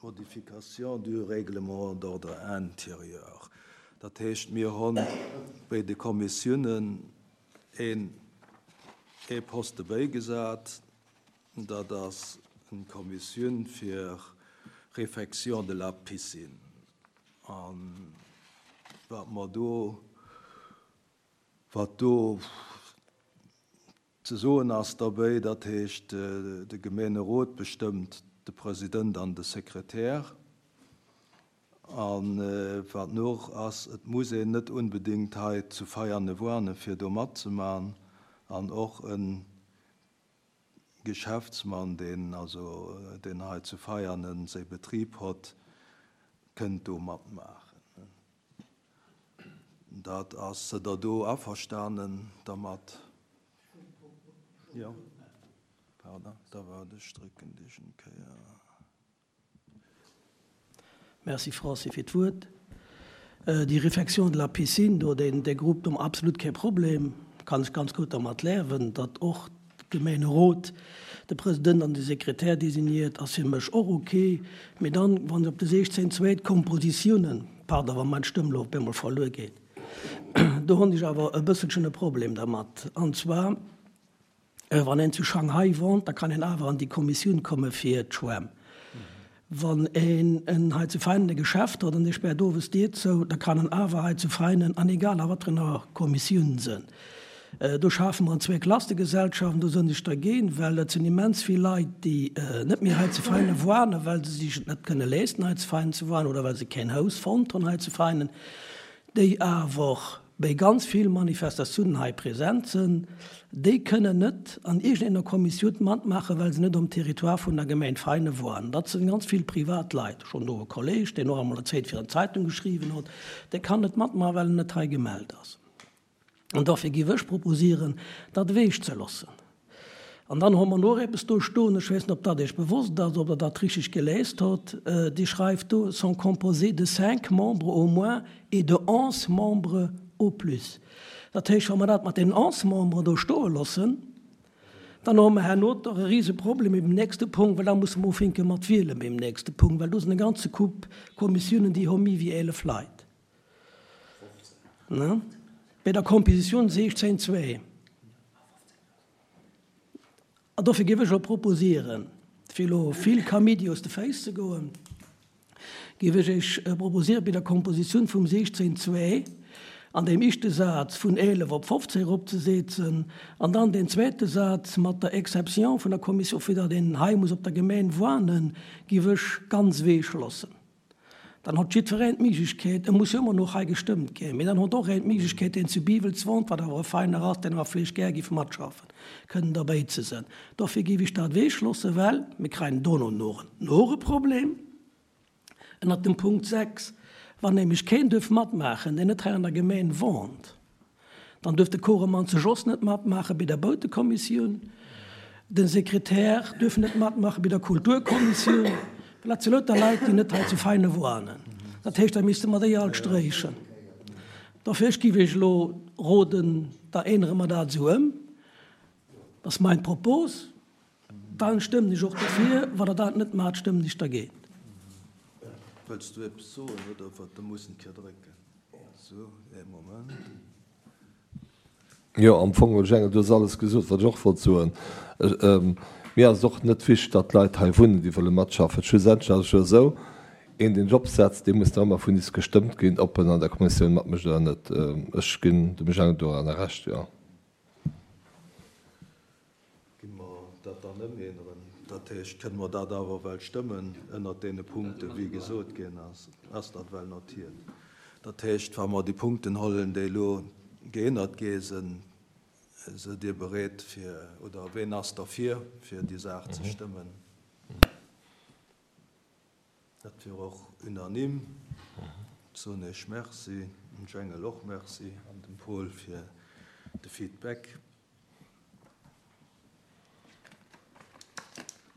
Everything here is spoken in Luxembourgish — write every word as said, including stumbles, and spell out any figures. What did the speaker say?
Modification du règlement d'ordre intérieur. Dat heescht, mir hunn bei de Kommissiounen een ee Poste bäigesat, dat ass eng Kommissioun fir Réfection de la piscine. An wat mer do, wat do ze soen ass derbäi, dat heescht, de Gemeenerot bestëmmt de President an de Sekretär. An wat nach ass, et muss een net onbedéngt hei zu Veiane wohnen, fir do matzemaachen. An och e Geschäftsmann, deen also deen hei zu Veianen säi Betrib huet, kënnt do matmaachen. Dat ass der do averstanen dermat? Jo. Pardon, da war ech drécken dech eng Kéier. Merci Francis fir d'Wuert. Déi Réfection de la piscine do, deen dee Grupp do absolut kee Problem, kann ech ganz gutt dermat liewen, datt och Gemeenerot de President an de Sekretär designiert, ass fir mech och okay. Mee dann, wann op de siechzéng zwee d'Kompositiounen, pardon, wa meng Stëmm lo op eemol verluer geet, do hunn ech awer e bësselchen e Problem dermat. An zwar, wann een zu Shanghai wohnt, da kann een awer an déi Kommissioun komme fir d'Schwämm. Wann een en hei zu Veinen e Geschäft huet an dee späert owes d'Dier zou, da kann en awer hei zu Veinen an egal a wat fir enger Kommissioun sënn. Do schafe mer an Zweeklassegesellschaften, do sënn ech dergéint, well et sinn immens vill Leit, déi net méi hei zu Veinen wohnen, well se sech et net kënne leesten, hei zu Veinen ze wohnen, oder well se keen Haus fonnt hunn hei zu Veinen, déi awer bei ganz vill Manifestatiounen hei present sinn, déi kënnen net an iergendenger Kommissioun matmaachen, well se net um Territoire vun der Gemeng Veinen wohnen. Dat sinn ganz vill Privatleit. Schonn do e Kolleg, deen och emol eng Zäit fir eng Zeitung geschriwwen huet, dee kann net matmaachen, well en net hei gemellt ass. An dofir géif ech proposieren, dat ewech ze loossen. An dann hu mer nach eppes do stoen, ech weess net, ob dat Iech bewosst ass, ob Der dat richteg gelies hutt, déi schreift do, sont composés de cinq membres au moins et de onze membres au plus. Dat heescht, wa mer dat mat den onze Memberen do stoe loossen, dann hu mer herno och e rise Problem beim nächste Punkt, well da musse mer ufänke mat wielen beim nächste Punkt, well do sinn e ganze Koup Kommissiounen, déi hu méi wéi eelef Leit. Ne? Bei der Kompositioun siechzéng zwee. An dofir géif ech elo proposieren, fir elo vill Kaméidi aus de Féiss ze goen, géif ech Iech proposieren, bei der Kompositioun vum siechzéng zwee an deem éischte Saz vun eelef op fofzéng eropzesetzen an dann deen zweete Saz mat der Exception vun der Kommission, fir datt een hei muss op der Gemeng wohnen, géif ech ganz ewech loossen. Dann huet jiddwereen d'Méiglechkeet, e muss jo ëmmer nach hei gestëmmt ginn, mee dann huet och een d'Méiglechkeet, deen zu Biwels wohnt, wat awer e Feiner ass, deen awer vläicht gär géif matschaffen, kënnen derbäi ze sinn. Dofir géif ech dat ewech loossen, well mir kréien dono nach en Problem ënnert dem Punkt sechs, wann nämlech keen duerf matmaachen, deen net hei an der Gemeng wohnt, dann duerf de Koremann zu Jos net matmaache bei der Boutekommissioun, den Sekretär duerf net matmaache bei der Kulturkommissioun, well dat si lauter Leit, déi net hei zu Veinen wohnen. Dat heescht, da misste mer déi all sträichen. Dofir ech géif iech elo roden, da ännere mer dat esou ëm. Dat ass mein Propos. Dann stëmmen ech och dofir. Wann der dat net maacht, stëmmen ech dergéint. Wëlls du eppes soen oder wat? Da muss en Kéier drécken. Sou, ee Moment. Jo, am Fong, Jengel, du hues alles gesot, wat ech och wollt soen. Mir ass et och net wichteg, datt d'Leit hei wunnen, déi wëlle matschaffen. Schlussendlech ass et jo esou, een, deen Job setzt, dee muss nach ëmmer vun is gestëmmt ginn, ob en an der Kommissioun matmécht oder net. Ech ginn dem Jengel doranner Recht, jo. Gi mer dat dann ëmänneren? Dat heescht, kënne mer dat awer well stëmmen ënnert deene Punkten, wéi gesot ginn ass? Ass dat well notiert? Dat heescht, wa mer déi Punkten hollen, déi elo geännert gi sinn, sidd Dir bereet fir, oder ween ass derfir, fir déi Saach ze stëmmen? Dat wier och unanime. Soen ech Merci, dem Jengel och Merci an dem Paul fir de Feedback.